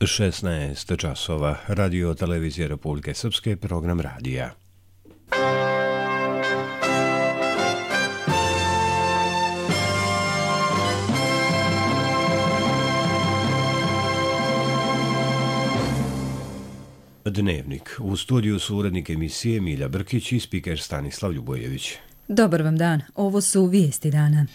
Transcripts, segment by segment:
16 časova. Radio televizije Republike Srpske, program radija. Dnevnik. U studiju su urednik emisije Milja Brkić i spiker Stanislav Ljubojević. Dobar vam dan. Ovo su vijesti dana.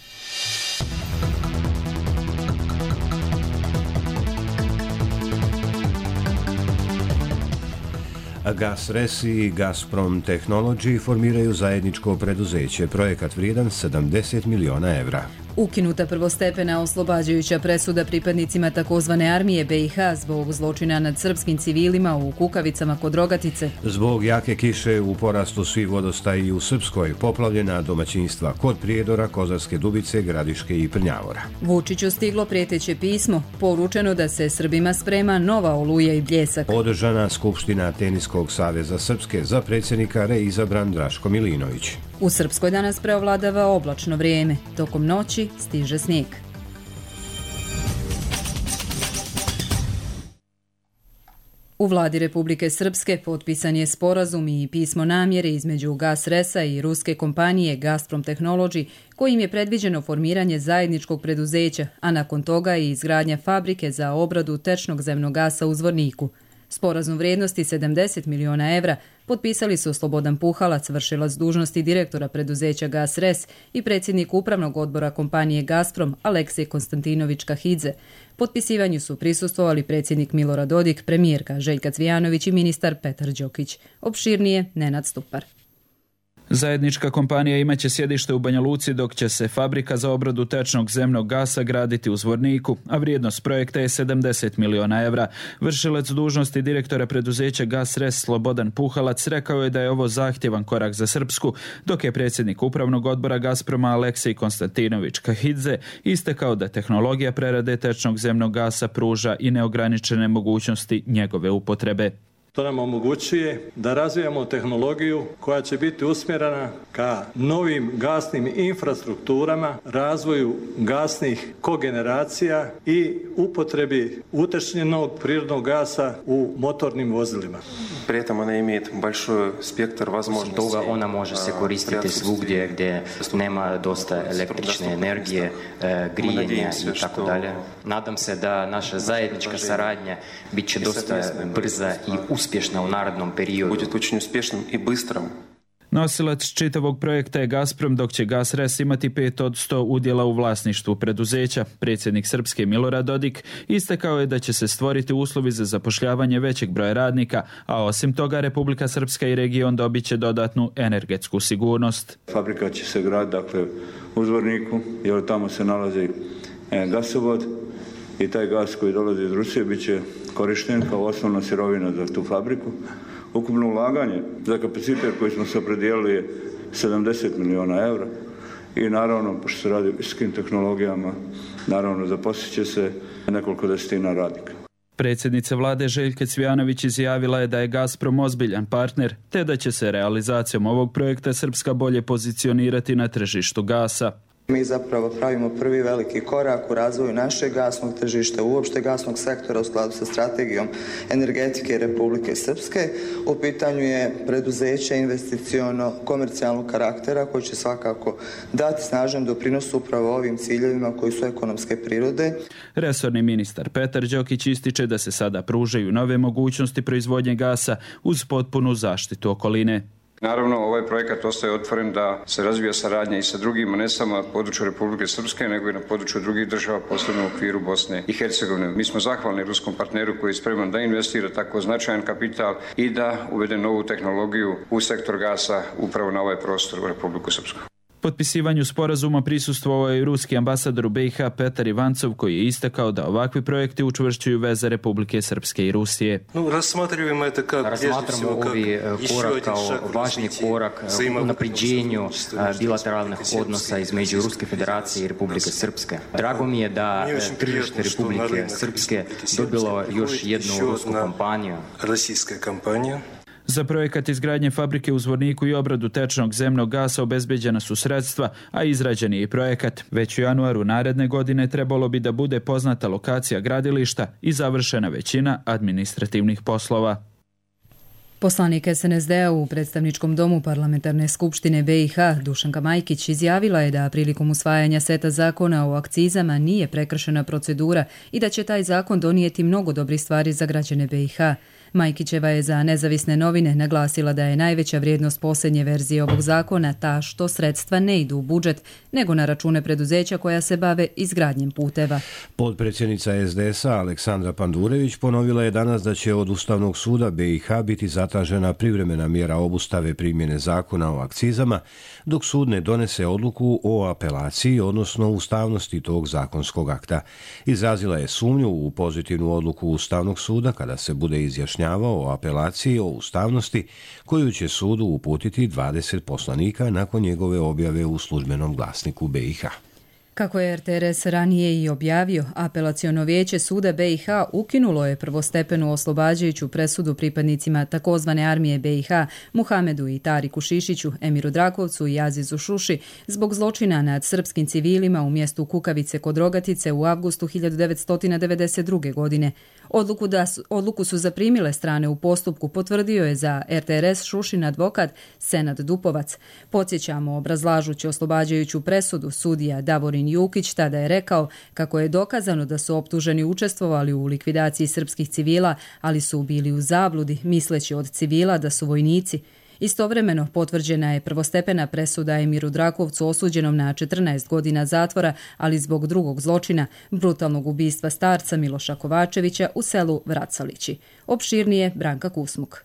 GasRes i Gazprom Technology formiraju zajedničko preduzeće, projekat vrijedan 70 miliona evra. Ukinuta prvostepena oslobađajuća presuda pripadnicima takozvane armije BiH zbog zločina nad srpskim civilima u Kukavicama kod Rogatice. Zbog jake kiše u porastu svi vodostaji u Srpskoj, poplavljena domaćinstva kod Prijedora, Kozarske Dubice, Gradiške i Prnjavora. Vučiću stiglo prijeteće pismo, poručeno da se Srbima sprema nova oluja i bljesak. Održana Skupština Teniskog saveza Srpske, za predsjednika reizabran Draško Milinović. U Srpskoj danas preovladava oblačno vrijeme. Tokom noći stiže snijeg. U vladi Republike Srpske potpisan je sporazum i pismo namjere između GasResa i ruske kompanije Gazprom Technology, kojim je predviđeno formiranje zajedničkog preduzeća, a nakon toga i izgradnja fabrike za obradu tečnog zemnog gasa u Zvorniku. Sporazum vrijednosti 70 miliona evra potpisali su Slobodan Puhalac, vršilac dužnosti direktora preduzeća GasRes i predsjednik upravnog odbora kompanije Gazprom Aleksej Konstantinović Kahidze. Potpisivanju su prisustvovali predsjednik Milorad Dodik, premijerka Željka Cvijanović i ministar Petar Đokić. Opširnije Nenad Stupar. Zajednička kompanija imaće sjedište u Banja Luci, dok će se fabrika za obradu tečnog zemnog gasa graditi u Zvorniku, a vrijednost projekta je 70 miliona evra. Vršilac dužnosti direktora preduzeća GasRes Slobodan Puhalac rekao je da je ovo zahtjevan korak za Srpsku, dok je predsjednik upravnog odbora Gazproma Aleksej Konstantinović Kahidze istakao da tehnologija prerade tečnog zemnog gasa pruža i neograničene mogućnosti njegove upotrebe. To nam omogućuje da razvijamo tehnologiju koja će biti usmjerena ka novim gasnim infrastrukturama, razvoju gasnih kogeneracija i upotrebi utečnjenog prirodnog gasa u motornim vozilima. Pri этом она имеет большой спектр возможностей. Toga ona može se koristiti svugdje gdje nema dosta električne energije, grijanja i tako dalje. Nadam se da naša zajednička saradnja bit će dosta brza i uspješna u narednom periodu. Будет очень успешным и быстрым. Nosilac čitavog projekta je Gazprom, dok će GasRes imati 5 od 100 udjela u vlasništvu preduzeća. Predsjednik Srpske Milorad Dodik istakao je da će se stvoriti uslovi za zapošljavanje većeg broja radnika, a osim toga Republika Srpska i region dobit će dodatnu energetsku sigurnost. Fabrika će se graditi u Zvorniku, jer tamo se nalazi gasovod i taj gas koji dolazi iz Rusije bit će korišten kao osnovna sirovina za tu fabriku. Ukupno ulaganje za kapacitet koji smo se opredijelili je 70 miliona evra i naravno, pošto se radi o visokim tehnologijama, naravno zaposlit će se nekoliko desetina radnika. Predsjednica vlade Željka Cvijanović izjavila je da je Gazprom ozbiljan partner, te da će se realizacijom ovog projekta Srpska bolje pozicionirati na tržištu gasa. Mi zapravo pravimo prvi veliki korak u razvoju našeg gasnog tržišta, uopšte gasnog sektora u skladu sa strategijom energetike Republike Srpske. U pitanju je preduzeće investiciono komercijalnog karaktera koji će svakako dati snažan doprinos upravo ovim ciljevima koji su ekonomske prirode. Resorni ministar Petar Đokić ističe da se sada pružaju nove mogućnosti proizvodnje gasa uz potpunu zaštitu okoline. Naravno, ovaj projekat ostaje otvoren da se razvija saradnja i sa drugima, ne samo na području Republike Srpske, nego i na području drugih država, posebno u okviru Bosne i Hercegovine. Mi smo zahvalni ruskom partneru koji je spreman da investira tako značajan kapital i da uvede novu tehnologiju u sektor gasa upravo na ovaj prostor u Republiku Srpsku. Potpisivanju sporazuma prisustvovao je i ruski ambasador u BiH Petar Ivancov, koji je istakao da ovakvi projekti učvršćuju veze Republike Srpske i Rusije. Razmatramo ovi korak kao važni korak u napređenju bilateralnih odnosa između Ruske federacije i Republike Srpske. Drago mi je da tržište Republike Srpske dobilo još jednu rusku kompaniju. Za projekat izgradnje fabrike u Zvorniku i obradu tečnog zemnog gasa obezbeđena su sredstva, a izrađen je i projekat. Već u januaru naredne godine trebalo bi da bude poznata lokacija gradilišta i završena većina administrativnih poslova. Poslanik SNSD-a u predstavničkom domu Parlamentarne skupštine BiH Dušanka Majkić izjavila je da prilikom usvajanja seta zakona o akcizama nije prekršena procedura i da će taj zakon donijeti mnogo dobrih stvari za građane BiH. Majkićeva je za Nezavisne novine naglasila da je najveća vrijednost posljednje verzije ovog zakona ta što sredstva ne idu u budžet, nego na račune preduzeća koja se bave izgradnjem puteva. Potpredsjednica SDS-a Aleksandra Pandurević ponovila je danas da će od Ustavnog suda BiH biti zatražena privremena mjera obustave primjene zakona o akcizama, dok sud ne donese odluku o apelaciji, odnosno ustavnosti tog zakonskog akta. Izrazila je sumnju u pozitivnu odluku Ustavnog suda kada se bude izjašnjavao o apelaciji o ustavnosti koju će sudu uputiti 20 poslanika nakon njegove objave u službenom glasniku BiH. Kako je RTRS ranije i objavio, apelaciono vijeće suda BiH ukinulo je prvostepenu oslobađajuću presudu pripadnicima takozvane armije BiH Muhamedu i Tariku Šišiću, Emiru Drakovcu i Azizu Šuši zbog zločina nad srpskim civilima u mjestu Kukavice kod Rogatice u avgustu 1992. godine. Odluku su zaprimile strane u postupku, potvrdio je za RTRS Šušin advokat Senad Dupovac. Podsjećamo, obrazlažući oslobađajuću presudu, sudija Davorin Jukić tada je rekao kako je dokazano da su optuženi učestvovali u likvidaciji srpskih civila, ali su bili u zabludi, misleći od civila da su vojnici. Istovremeno potvrđena je prvostepena presuda Emiru Drakovcu osuđenom na 14 godina zatvora, ali zbog drugog zločina, brutalnog ubistva starca Miloša Kovačevića u selu Vracalići. Opširnije Branka Kusmuk.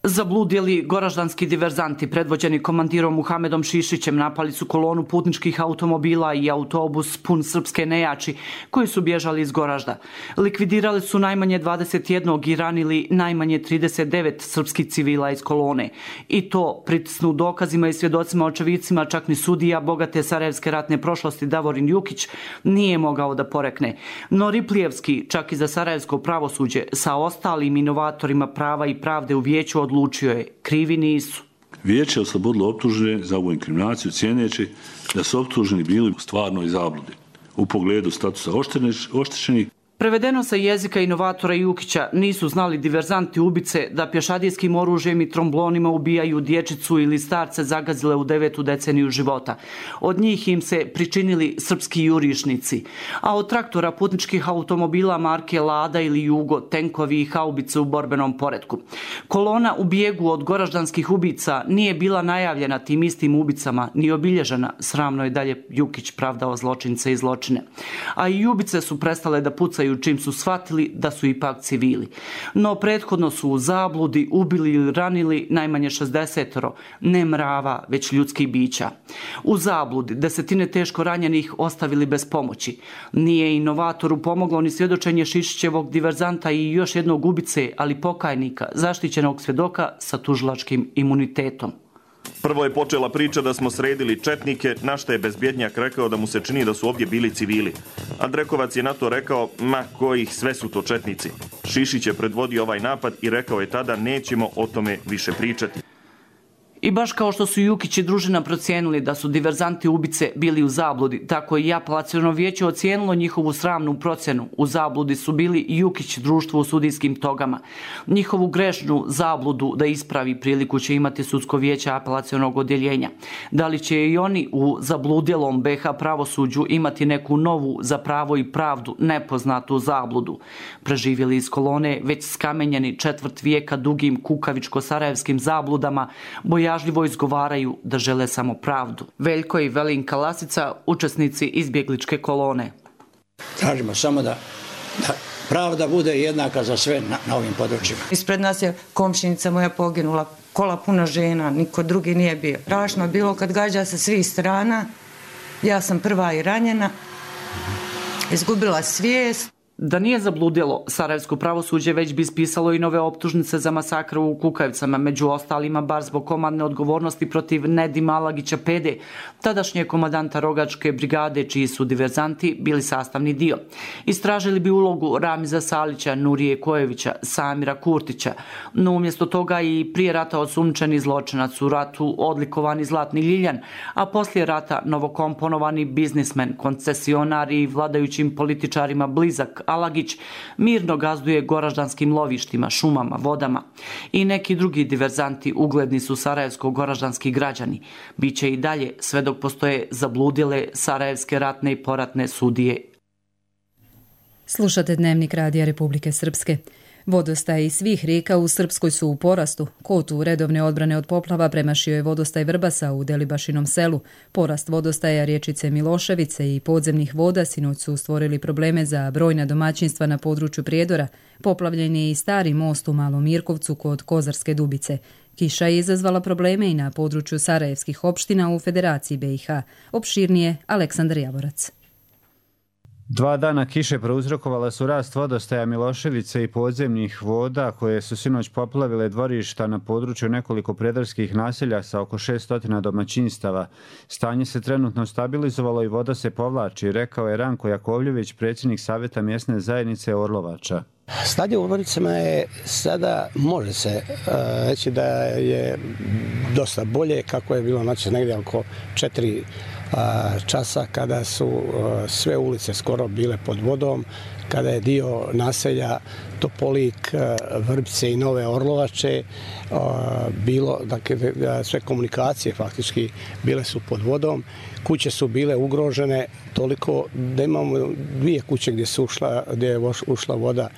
Zabludjeli goraždanski diverzanti predvođeni komandirom Muhamedom Šišićem napali su kolonu putničkih automobila i autobus pun srpske nejači koji su bježali iz Goražda. Likvidirali su najmanje 21 i ranili najmanje 39 srpskih civila iz kolone. I to pritisnu dokazima i svjedocima očevicima čak ni sudija bogate sarajevske ratne prošlosti Davorin Jukić nije mogao da porekne. No Riplijevski, čak i za sarajevsko pravosuđe, sa ostalim inovatorima prava i pravde u vijeću odlučio je, krivi nisu. Vijeće je oslobodilo optužene za ovu inkriminaciju cijeneći da su optuženi bili u stvarnoj zabludi u pogledu statusa oštećenih. Prevedeno sa jezika inovatora Jukića, nisu znali diverzanti ubice da pješadijskim oružjem i tromblonima ubijaju dječicu ili starce zagazile u 9. deceniju života. Od njih im se pričinili srpski jurišnici, a od traktora putničkih automobila marke Lada ili Jugo, tenkovi i haubice u borbenom poretku. Kolona u bijegu od goraždanskih ubica nije bila najavljena tim istim ubicama, ni obilježena, sramno je dalje Jukić pravdao zločince i zločine. A i ubice su prestale da pucaju čim su shvatili da su ipak civili. No prethodno su u zabludi ubili ili ranili najmanje 60, ne mrava, već ljudskih bića. U zabludi desetine teško ranjenih ostavili bez pomoći. Nije inovatoru pomoglo ni svjedočenje Šišićevog diverzanta i još jednog ubice, ali pokajnika, zaštićenog svjedoka sa tužilačkim imunitetom. Prvo je počela priča da smo sredili četnike, na što je bezbjednjak rekao da mu se čini da su ovdje bili civili. A Drekovac je na to rekao, ma kojih, sve su to četnici. Šišić je predvodio ovaj napad i rekao je tada nećemo o tome više pričati. I baš kao što su Jukić i družina procijenili da su diverzanti ubice bili u zabludi, tako i apelaciono vijeće ocijenilo njihovu sramnu procjenu. U zabludi su bili Jukić društvo u sudijskim togama. Njihovu grešnu zabludu da ispravi priliku će imati sudsko vijeće apelacionog odjeljenja. Da li će i oni u zabludjelom BiH pravosuđu imati neku novu za pravo i pravdu nepoznatu zabludu? Preživjeli iz kolone već skamenjeni 4 vijeka dugim kukavičko-sarajevskim zabludama, bojažljivo izgovaraju da žele samo pravdu. Veljko i Velinka Lasica, učesnici izbjegličke kolone. Tražimo samo da pravda bude jednaka za sve na ovim područjima. Ispred nas je komšinica moja poginula, kola puna žena, niko drugi nije bio. Strašno je bilo kad gađa sa svih strana, ja sam prva i ranjena, izgubila svijest. Da nije zabludjelo, sarajevsko pravosuđe već bi ispisalo i nove optužnice za masakr u Kukavicama, među ostalima bar zbog komandne odgovornosti protiv Nedima Alagića Pede, tadašnje komandanta Rogačke brigade, čiji su diverzanti bili sastavni dio. Istražili bi ulogu Ramiza Salića, Nurije Kojevića, Samira Kurtića, no umjesto toga i prije rata osumnjičeni zločinac u ratu odlikovani Zlatni Ljiljan, a poslije rata novokomponovani biznismen, koncesionar i vladajućim političarima blizak Alagić mirno gazduje goraždanskim lovištima, šumama, vodama. I neki drugi diverzanti ugledni su sarajevsko-goraždanski građani. Biće i dalje sve dok postoje zabludjele sarajevske ratne i poratne sudije. Slušate Dnevnik Radija Republike Srpske. Vodostaji svih rijeka u Srpskoj su u porastu. Kotu redovne odbrane od poplava premašio je vodostaj Vrbasa u Delibašinom selu. Porast vodostaja riječice Miloševice i podzemnih voda sinoć su stvorili probleme za brojna domaćinstva na području Prijedora. Poplavljen je i stari most u Malom Mirkovcu kod Kozarske Dubice. Kiša je izazvala probleme i na području sarajevskih opština u Federaciji BiH. Opširnije Aleksandar Javorac. 2 dana kiše prouzrokovala su rast vodostaja Miloševice i podzemnih voda koje su sinoć poplavile dvorišta na području nekoliko predarskih naselja sa oko 600 domaćinstava. Stanje se trenutno stabilizovalo i voda se povlači, rekao je Ranko Jakovljević, predsjednik Savjeta mjesne zajednice Orlovača. Stanje u Orlovicama je sada, može se reći da je dosta bolje, kako je bilo negdje oko 4 časa kada su sve ulice skoro bile pod vodom, kada je dio naselja Topolik, Vrbice i Nove Orlovače bilo, dakle, sve komunikacije faktički bile su pod vodom, kuće su bile ugrožene toliko da imamo 2 kuće gdje je ušla voda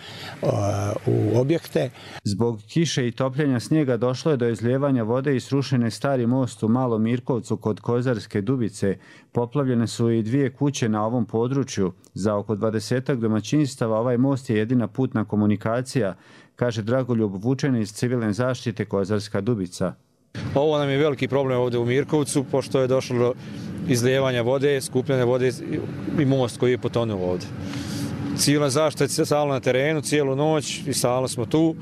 u objekte. Zbog kiše i topljenja snijega došlo je do izlijevanja vode i srušen je stari most u Malom Mirkovcu kod Kozarske Dubice. Poplavljene su i 2 kuće na ovom području. Za oko 20 domaćinstava ovaj most je jedina putna komunikacija, kaže Dragoljub Vučen iz civilne zaštite Kozarska Dubica. Ovo nam je veliki problem ovdje u Mirkovcu, pošto je došlo do izlijevanja vode, skupljene vode i most koji je potonuo ovdje. Civilna zaštita je stalno na terenu, cijelu noć i stalno smo tu.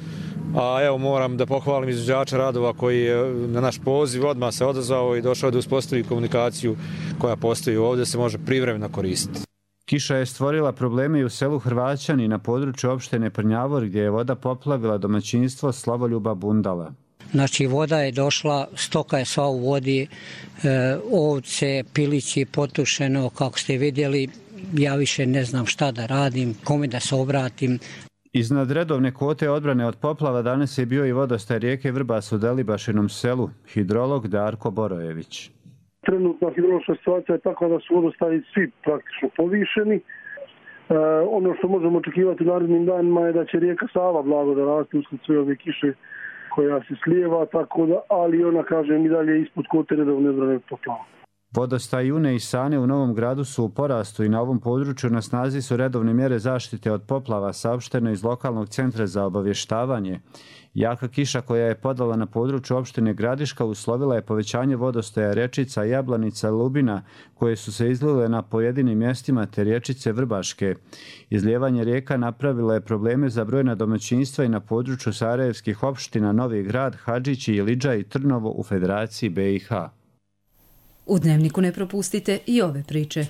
A evo moram da pohvalim izvođača radova koji je na naš poziv odmah se odazvao i došao da uspostavi komunikaciju koja postoji ovdje, se može privremeno koristiti. Kiša je stvorila probleme i u selu Hrvaćani na području opštine Prnjavor gdje je voda poplavila domaćinstvo Slavoljuba Bundala. Znači voda je došla, stoka je sva u vodi, ovce, pilići potušeno, kako ste vidjeli, ja više ne znam šta da radim, kome da se obratim. Iznad redovne kvote odbrane od poplava danas je bio i vodostaj rijeke Vrbas u Delibašinom selu, hidrolog Darko Borojević. Trenutna hidrološka situacija je takva da su vodostaji svi praktično povišeni. Ono što možemo očekivati u narednim danima je da će rijeka Sava blago da raste usled sve ove kiše koja se slijeva, tako da, ali ona, kažem, i dalje ispod kvote redovne odbrane od poplava. Vodostaj Une i Sane u Novom Gradu su u porastu i na ovom području na snazi su redovne mjere zaštite od poplava, saopšteno iz lokalnog centra za obavještavanje. Jaka kiša koja je padala na području opštine Gradiška uslovila je povećanje vodostaja rečica Jablanica, Lubina, koje su se izlile na pojedinim mjestima, te riječice Vrbaške. Izlijevanje rijeka napravilo je probleme za brojna domaćinstva i na području sarajevskih opština Novi Grad, Hadžići, Ilidža i Trnovo u Federaciji BiH. U Dnevniku ne propustite i ove priče.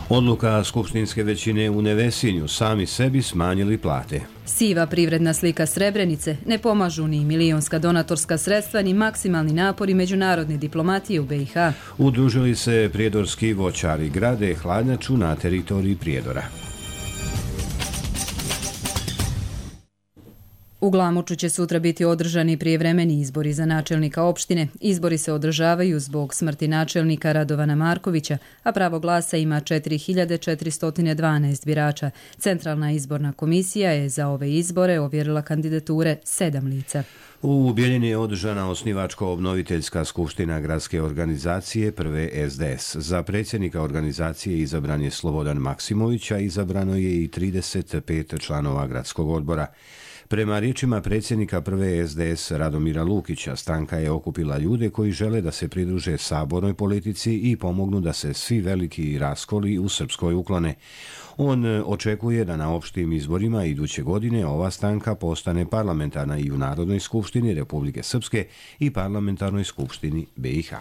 Odluka skupštinske većine u Nevesinju, sami sebi smanjili plate. Siva privredna slika Srebrenice, ne pomažu ni milionska donatorska sredstva ni maksimalni napori međunarodne diplomatije u BiH. Udružili se prijedorski voćari, grade hladnjaču na teritoriji Prijedora. U Glamoču će sutra biti održani prijevremeni izbori za načelnika opštine. Izbori se održavaju zbog smrti načelnika Radovana Markovića, a pravo glasa ima 4412 birača. Centralna izborna komisija je za ove izbore ovjerila kandidature 7 lica. U Bijeljini je održana osnivačko-obnoviteljska skupština gradske organizacije prve SDS. Za predsjednika organizacije izabran je Slobodan Maksimović, a izabrano je i 35 članova gradskog odbora. Prema riječima predsjednika prve SDS Radomira Lukića, stranka je okupila ljude koji žele da se pridruže sabornoj politici i pomognu da se svi veliki raskoli u Srpskoj uklone. On očekuje da na opštim izborima iduće godine ova stranka postane parlamentarna i u Narodnoj skupštini Republike Srpske i parlamentarnoj skupštini BiH.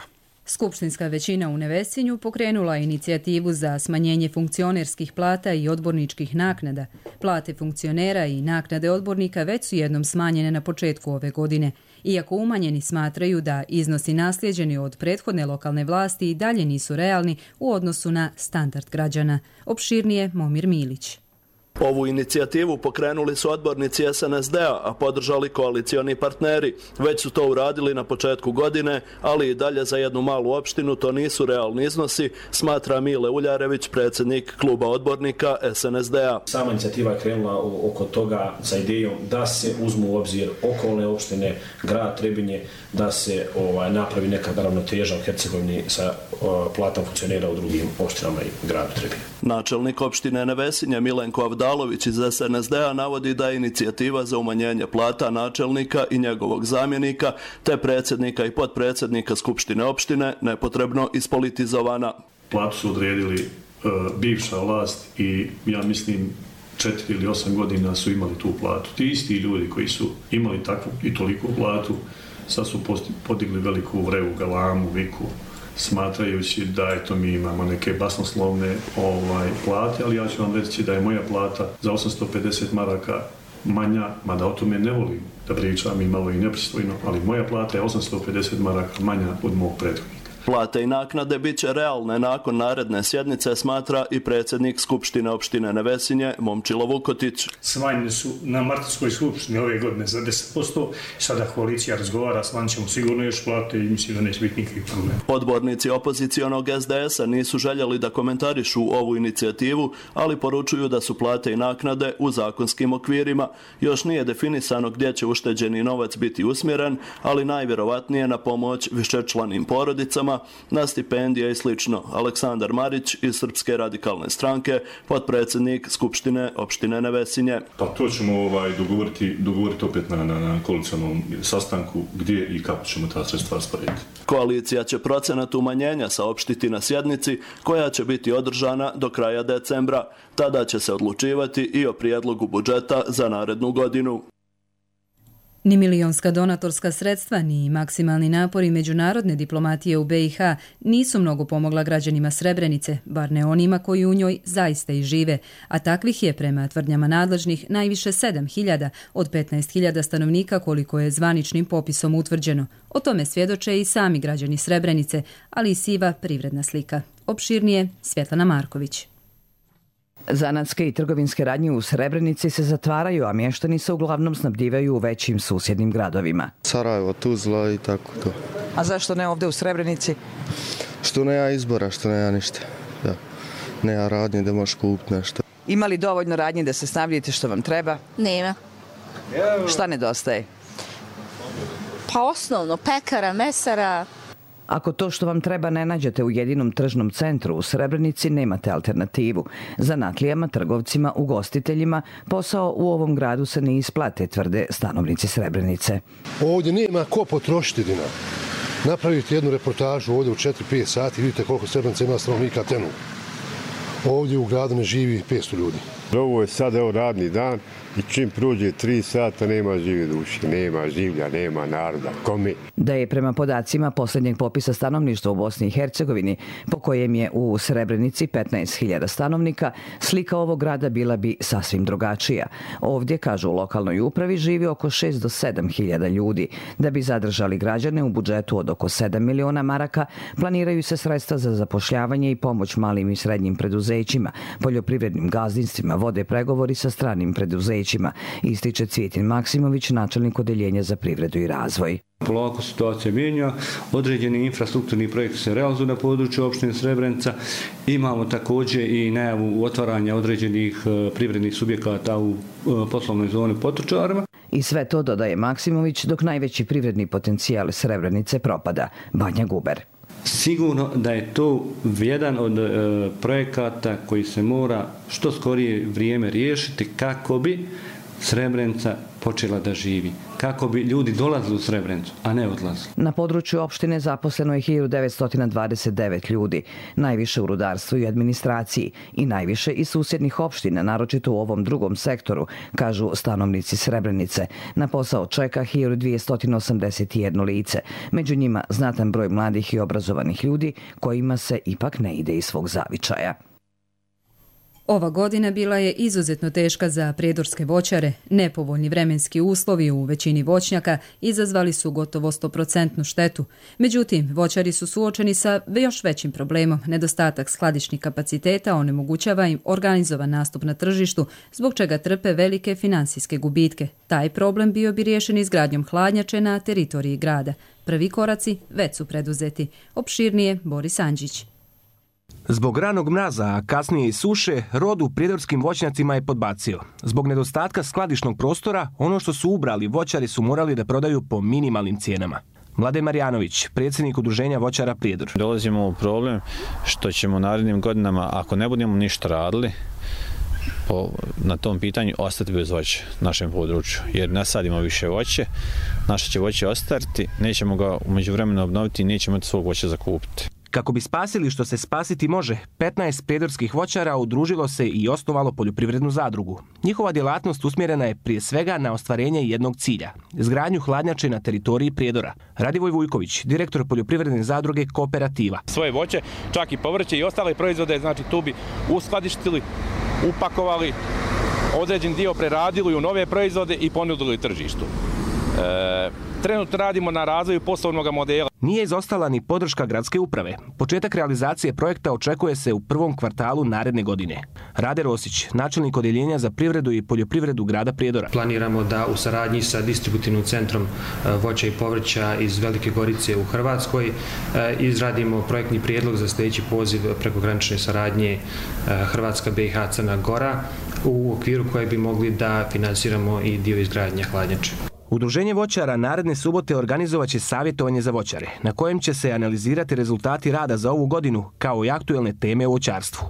Skupštinska većina u Nevesinju pokrenula inicijativu za smanjenje funkcionerskih plata i odborničkih naknada. Plate funkcionera i naknade odbornika već su jednom smanjene na početku ove godine. Iako umanjeni smatraju da iznosi naslijeđeni od prethodne lokalne vlasti i dalje nisu realni u odnosu na standard građana. Opširnije Momir Milić. Ovu inicijativu pokrenuli su odbornici SNSD-a, a podržali koalicioni partneri. Već su to uradili na početku godine, ali i dalje za jednu malu opštinu to nisu realni iznosi, smatra Mile Uljarević, predsjednik kluba odbornika SNSD-a. Sama inicijativa je krenula oko toga sa idejom da se uzmu u obzir okolne opštine, grad Trebinje, da se napravi neka ravnoteža u Hercegovini sa platom funkcionera u drugim opštinama i gradu Trebinje. Načelnik opštine Nevesinje Milenko Avdalović iz SNSD-a navodi da je inicijativa za umanjenje plata načelnika i njegovog zamjenika, te predsjednika i potpredsjednika Skupštine opštine nepotrebno ispolitizovana. Platu su odredili bivša vlast i ja mislim 4 ili 8 godina su imali tu platu. Ti isti ljudi koji su imali takvu i toliku platu sad su podigli veliku vrevu, galamu, viku, smatrajući da eto mi imamo neke basnoslovne plate, ali ja ću vam reći da je moja plata za 850 maraka manja, mada o tome ne volim da pričam i malo i nepristojno, ali moja plata je 850 maraka manja od mog prethodnika. Plate i naknade bit će realne nakon naredne sjednice, smatra i predsjednik Skupštine opštine Nevesinje Momčilo Vukotić. Smanjene su na martovskoj skupštini ove godine za 10%. Sada koalicija razgovara, smanjit ćemo sigurno još plate i mislim da neće biti nikakvih problema. Odbornici opozicionog SDS-a nisu željeli da komentarišu ovu inicijativu, ali poručuju da su plate i naknade u zakonskim okvirima. Još nije definisano gdje će ušteđeni novac biti usmjeren, ali najvjerovatnije na pomoć višečlanim porodicama, na stipendije i slično. Aleksandar Marić iz Srpske radikalne stranke, potpredsjednik Skupštine opštine Nevesinje. Pa to ćemo dogovoriti opet na koalicionom sastanku gdje i kako ćemo ta sredstva rasporediti. Koalicija će procenat umanjenja saopštiti na sjednici koja će biti održana do kraja decembra. Tada će se odlučivati i o prijedlogu budžeta za narednu godinu. Ni milionska donatorska sredstva, ni maksimalni napori međunarodne diplomatije u BiH nisu mnogo pomogla građanima Srebrenice, bar ne onima koji u njoj zaista i žive, a takvih je prema tvrdnjama nadležnih najviše 7.000 od 15.000 stanovnika koliko je zvaničnim popisom utvrđeno. O tome svjedoče i sami građani Srebrenice, ali i siva privredna slika. Opširnije Svjetlana Marković. Zanatske i trgovinske radnje u Srebrenici se zatvaraju, a mještani se uglavnom snabdijevaju u većim susjednim gradovima. Sarajevo, Tuzla i tako to. A zašto ne ovdje u Srebrenici? Što nema izbora, što nema ništa. Da. Nema radnje da možeš kupiti nešto. Ima li dovoljno radnje da se snabdijete što vam treba? Nema. Šta nedostaje? Pa osnovno, pekara, mesara. Ako to što vam treba ne nađete u jedinom tržnom centru u Srebrenici, nemate alternativu. Zanatlijama, trgovcima, ugostiteljima posao u ovom gradu se ne isplate, tvrde stanovnici Srebrenice. Ovdje nema ko potrošiti dinar. Napravite jednu reportažu ovdje u 4-5 sati, vidite koliko Srebrenica ima stanovnika tenu. Ovdje u gradu ne živi 500 ljudi. Ovo je sad radni dan i čim prođe 3 sata nema žive duše, nema življa, nema naroda. Kome? Da je prema podacima posljednjeg popisa stanovništva u Bosni i Hercegovini, po kojem je u Srebrenici 15.000 stanovnika, slika ovog grada bila bi sasvim drugačija. Ovdje, kažu u lokalnoj upravi, živi oko 6 do 7.000 ljudi. Da bi zadržali građane u budžetu od oko 7 miliona maraka, planiraju se sredstva za zapošljavanje i pomoć malim i srednjim preduzećima, poljoprivrednim gazdinstvima, vode pregovori sa stranim preduzećima, ističe Cvijetin Maksimović, načelnik odeljenja za privredu i razvoj. Polako situacija mijenja, određeni infrastrukturni projekti se realizuju na području opštine Srebrenica. Imamo također i najavu otvaranja određenih privrednih subjekata u poslovnoj zoni Potočarima. I sve to, dodaje Maksimović, dok najveći privredni potencijal Srebrenice propada. Banja Guber. Sigurno da je to jedan od projekata koji se mora što skorije vrijeme riješiti kako bi Srebrenica počela da živi. Kako bi ljudi dolazili u Srebrenicu, a ne odlazili. Na području opštine zaposleno je 1929 ljudi, najviše u rudarstvu i administraciji i najviše iz susjednih opština, naročito u ovom drugom sektoru, kažu stanovnici Srebrenice. Na posao čeka 1281 lice, među njima znatan broj mladih i obrazovanih ljudi kojima se ipak ne ide iz svog zavičaja. Ova godina bila je izuzetno teška za prijedorske voćare. Nepovoljni vremenski uslovi u većini voćnjaka izazvali su gotovo 100% štetu. Međutim, voćari su suočeni sa još većim problemom. Nedostatak skladišnih kapaciteta onemogućava im organizovan nastup na tržištu, zbog čega trpe velike finansijske gubitke. Taj problem bio bi riješen izgradnjom hladnjače na teritoriji grada. Prvi koraci već su preduzeti. Opširnije Boris Andžić. Zbog ranog mraza, a kasnije i suše, rod u prijedorskim voćnjacima je podbacio. Zbog nedostatka skladišnog prostora, ono što su ubrali voćari su morali da prodaju po minimalnim cijenama. Mladen Marjanović, predsjednik udruženja voćara Prijedor. Dolazimo u problem što ćemo narednim godinama, ako ne budemo ništa radili, na tom pitanju ostati bez voća našem području, jer ne sadimo više voće, naše će voće ostati, nećemo ga u međuvremenu obnoviti i nećemo imati svog voća za kupiti. Kako bi spasili što se spasiti može, 15 prijedorskih voćara udružilo se i osnovalo poljoprivrednu zadrugu. Njihova djelatnost usmjerena je prije svega na ostvarenje jednog cilja, izgradnju hladnjače na teritoriji Prijedora. Radivoj Vujković, direktor poljoprivredne zadruge Kooperativa. Svoje voće, čak i povrće i ostale proizvode, znači tu bi uskladištili, upakovali, određen dio preradili u nove proizvode i ponudili tržištu. Trenutno radimo na razvoju poslovnog modela. Nije izostala ni podrška gradske uprave. Početak realizacije projekta očekuje se u prvom kvartalu naredne godine. Rade Rosić, načelnik odjeljenja za privredu i poljoprivredu grada Prijedora. Planiramo da u saradnji sa distributivnim centrom voća i povrća iz Velike Gorice u Hrvatskoj izradimo projektni prijedlog za sljedeći poziv prekogranične saradnje Hrvatska, BiH, Crna Gora, u okviru koje bi mogli da finansiramo i dio izgradnje hladnjače. Udruženje voćara naredne subote organizovaće savjetovanje za voćare, na kojem će se analizirati rezultati rada za ovu godinu, kao i aktuelne teme u voćarstvu.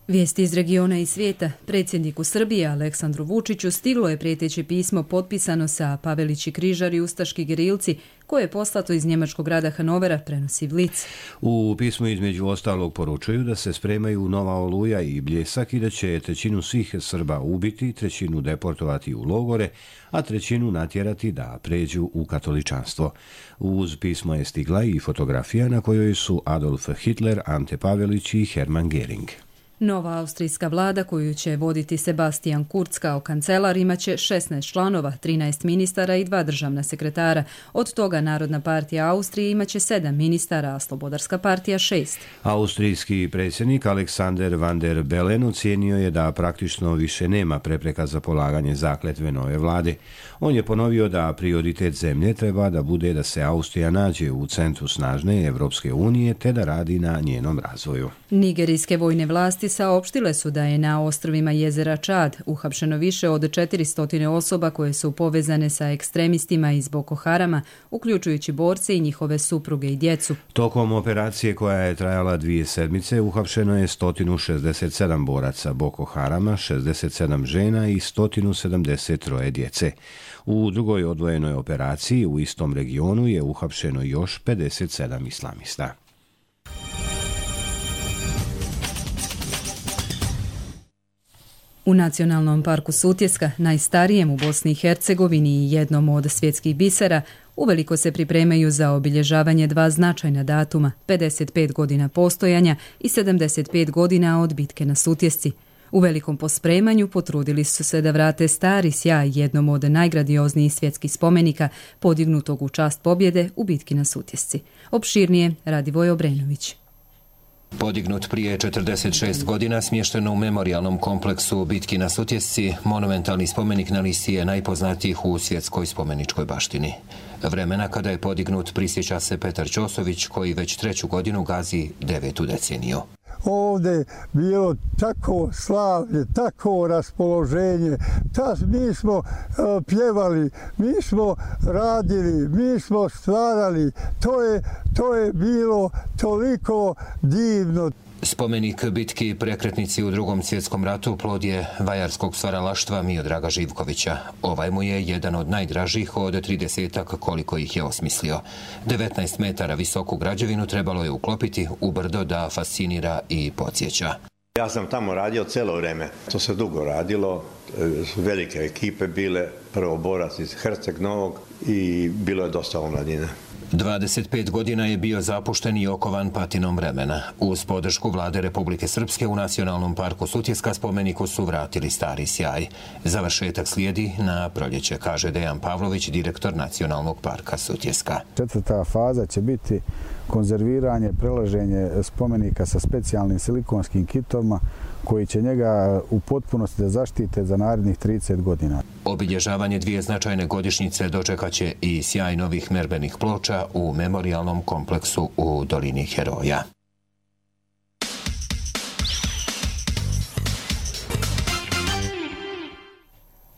Vijesti iz regiona i svijeta. Predsjedniku Srbije Aleksandru Vučiću stiglo je prijeteće pismo potpisano sa Pavelići križari ustaški gerilci, koje je poslato iz njemačkog grada Hanovera, prenosi Blic. U pismu između ostalog poručuju da se spremaju nova Oluja i Bljesak i da će trećinu svih Srba ubiti, trećinu deportovati u logore, a trećinu natjerati da pređu u katoličanstvo. Uz pismo je stigla i fotografija na kojoj su Adolf Hitler, Ante Pavelić i Hermann Göring. Nova austrijska vlada, koju će voditi Sebastian Kurz kao kancelar, imaće 16 članova, 13 ministara i 2 državna sekretara. Od toga Narodna partija Austrije imaće 7 ministara, a Slobodarska partija 6. Austrijski predsjednik Alexander van der Bellen ocijenio je da praktično više nema prepreka za polaganje zakletve nove vlade. On je ponovio da prioritet zemlje treba da bude da se Austrija nađe u centru snažne Evropske unije te da radi na njenom razvoju. Nigerijske vojne vlasti saopštile su da je na ostrvima jezera Čad uhapšeno više od 400 osoba koje su povezane sa ekstremistima iz Boko Harama, uključujući borce i njihove supruge i djecu. Tokom operacije koja je trajala 2 sedmice uhapšeno je 167 boraca Boko Harama, 67 žena i 173 djece. U drugoj odvojenoj operaciji u istom regionu je uhapšeno još 57 islamista. U Nacionalnom parku Sutjeska, najstarijem u Bosni i Hercegovini i jednom od svjetskih bisera, uveliko se pripremaju za obilježavanje 2 značajna datuma, 55 godina postojanja i 75 godina od bitke na Sutjesci. U velikom pospremanju potrudili su se da vrate stari sjaj jednom od najgradioznijih svjetskih spomenika podignutog u čast pobjede u bitki na Sutjesci. Opširnije Radivoj Obrenović. Podignut prije 46 godina, smješteno u memorijalnom kompleksu bitki na Sutjesci, monumentalni spomenik na listi je najpoznatijih u svjetskoj spomeničkoj baštini. Vremena kada je podignut prisjeća se Petar Ćosović, koji već 3. godinu gazi 9. deceniju. Ovdje bilo tako slavlje, tako raspoloženje, mi smo pjevali, mi smo radili, mi smo stvarali, to je bilo toliko divno. Spomenik bitki prekretnici u Drugom svjetskom ratu plod je vajarskog stvaralaštva Miodraga Živkovića. Ovaj mu je jedan od najdražih od 30-ak koliko ih je osmislio. 19 metara visoku građevinu trebalo je uklopiti u brdo da fascinira i podsjeća. Ja sam tamo radio cijelo vrijeme. To se dugo radilo, velike ekipe bile, prvo borac iz Herceg Novog i bilo je dosta omladine. 25 godina je bio zapušten i okovan patinom vremena. Uz podršku vlade Republike Srpske u Nacionalnom parku Sutjeska spomeniku su vratili stari sjaj. Završetak slijedi na proljeće, kaže Dejan Pavlović, direktor Nacionalnog parka Sutjeska. 4. faza će biti konzerviranje, prelaženje spomenika sa specijalnim silikonskim kitovima koji će njega u potpunosti da zaštite za narednih 30 godina. Obilježavanje 2 značajne godišnjice dočekaće i sjaj novih merbenih ploča u memorijalnom kompleksu u Dolini Heroja.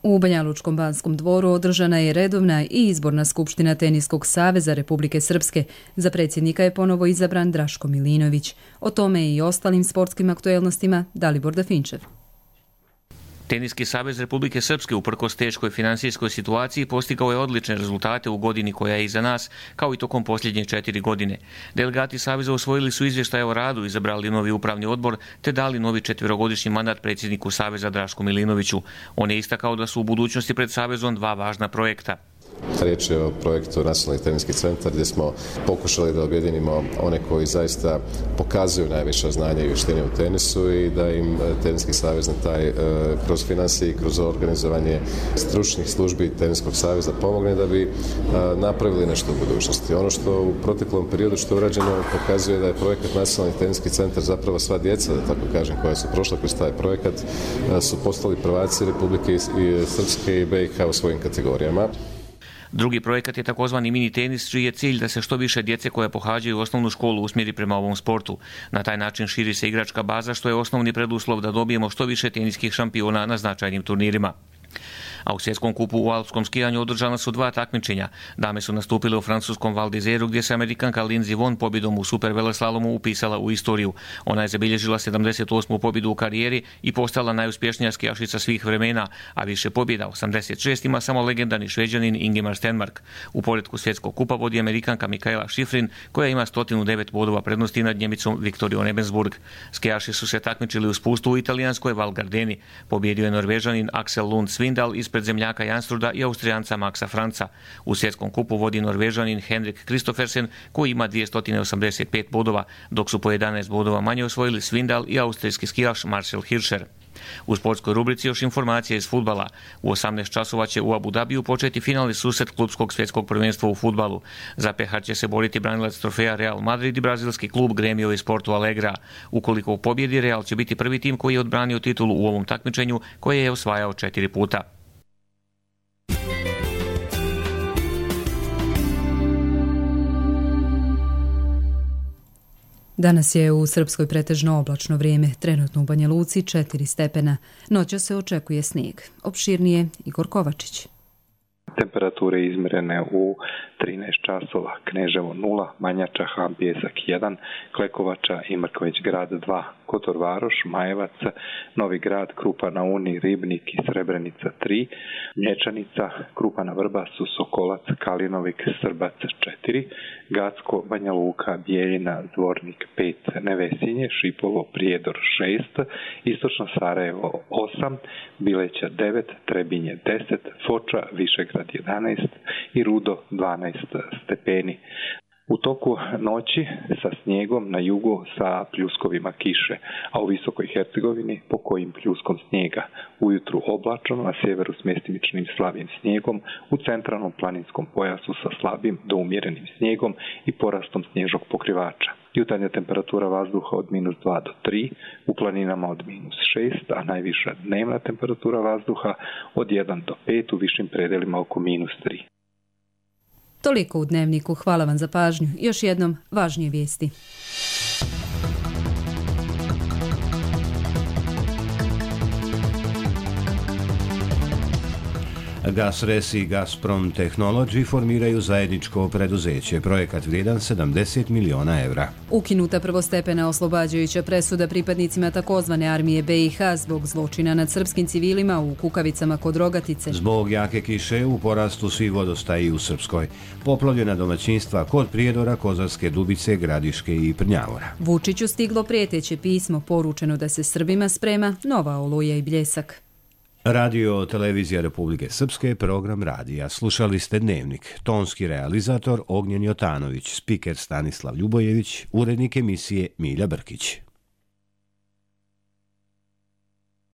U Banjalučkom Banskom dvoru održana je redovna i izborna skupština Teniskog saveza Republike Srpske. Za predsjednika je ponovo izabran Draško Milinović. O tome i ostalim sportskim aktuelnostima Dalibor Dafinčev. Teniski savez Republike Srpske uprkos teškoj finansijskoj situaciji postigao je odlične rezultate u godini koja je iza nas, kao i tokom posljednje 4 godine. Delegati saveza usvojili su izvještaje o radu, izabrali novi upravni odbor te dali novi 4-godišnji mandat predsjedniku saveza Drašku Milinoviću. On je istakao da su u budućnosti pred savezom 2 važna projekta. Riječ je o projektu Nacionalni teniski centar gdje smo pokušali da objedinimo one koji zaista pokazuju najviša znanja i vještine u tenisu i da im Teniski savez na taj kroz financije i kroz organizovanje stručnih službi Teniskog saveza pomogne da bi napravili nešto u budućnosti. Ono što u proteklom periodu što je urađeno pokazuje da je projekat Nacionalni teniski centar zapravo sva djeca, da tako kažem, koja su prošla kroz taj projekat, su postali prvaci Republike Srpske i BiH u svojim kategorijama. Drugi projekat je takozvani mini tenis, čiji je cilj da se što više djece koja pohađaju osnovnu školu usmjeri prema ovom sportu. Na taj način širi se igračka baza, što je osnovni preduslov da dobijemo što više teniskih šampiona na značajnim turnirima. A u svjetskom kupu u alpskom skijanju održana su 2 takmičenja. Dame su nastupile u francuskom Val d'Isèru gdje se Amerikanka Lindsey Vonn pobjedom u super veleslalomu upisala u istoriju. Ona je zabilježila 78. pobjedu u karijeri i postala najuspješnija skijašica svih vremena, a više pobjeda, 86, ima samo legendarni Šveđanin Ingemar Stenmark. U poretku svjetskog kupa vodi Amerikanka Mikaela Schifrin koja ima 109 bodova prednosti nad Njemicom Viktorijom Ebensburg. Skijaši su se takmičili u spustu u italijanskoj Val Gardeni. Pobjedio je Norvežanin Axel Lund Svindal ispred zemljaka Janstruda i Austrijanca Maxa Franca. U svjetskom kupu vodi Norvežanin Henrik Kristoffersen koji ima 285 bodova, dok su po 11 bodova manje osvojili Svindal i austrijski skijaš Marcel Hirscher. U sportskoj rubrici još informacije iz fudbala. U 18 časova će u Abu Dhabiju početi finalni susret klubskog svjetskog prvenstva u fudbalu. Za pehar će se boriti branilac trofeja Real Madrid i brazilski klub Gremio i Sportu Alegra. Ukoliko pobjedi, Real će biti prvi tim koji je odbranio titulu u ovom takmičenju koje je osvajao 4 puta. Danas je u Srpskoj pretežno oblačno vrijeme, trenutno u Banja Luci 4 stepena. Noćas se očekuje snijeg. Opširnije Igor Kovačić. Temperature izmjerene u 13 časova, Kneževo 0, Manjača, Han Pjesak 1, Klekovača i Mrković grad 2, Kotor Varoš, Majevac, Novi grad, Krupa na Uni, Ribnik i Srebrenica 3, Mlječanica, Krupa na Vrbasu, Sokolac, Kalinovik, Srbac 4, Gacko, Banja Luka, Bijeljina, Zvornik 5, Nevesinje, Šipovo, Prijedor 6, Istočno Sarajevo 8, Bileća 9, Trebinje 10, Foča, Višegrad 11 i Rudo 12 stepeni. U toku noći sa snijegom na jugu sa pljuskovima kiše, a u Visokoj Hercegovini po kojim pljuskom snijega. Ujutru oblačno, na sjeveru s mjestimičnim slabim snijegom, u centralnom planinskom pojasu sa slabim do umjerenim snijegom i porastom snježnog pokrivača. Jutarnja temperatura vazduha od -2 do 3, u planinama od -6, a najviša dnevna temperatura vazduha od 1 do 5, u višim predelima oko -3. Toliko u Dnevniku. Hvala vam za pažnju. Još jednom važnije vijesti. GasRes i Gazprom Technology formiraju zajedničko preduzeće, projekat vrijedan 70 miliona evra. Ukinuta prvostepena oslobađajuća presuda pripadnicima takozvane armije BiH zbog zločina nad srpskim civilima u Kukavicama kod Rogatice. Zbog jake kiše u porastu svi vodostaji u Srpskoj. Poplavljena domaćinstva kod Prijedora, Kozarske Dubice, Gradiške i Prnjavora. Vučiću stiglo prijeteće pismo, poručeno da se Srbima sprema nova oluja i bljesak. Radio Televizija Republike Srpske, program radija. Slušali ste Dnevnik. Tonski realizator Ognjen Jotanović, spiker Stanislav Ljubojević, urednik emisije Milja Brkić.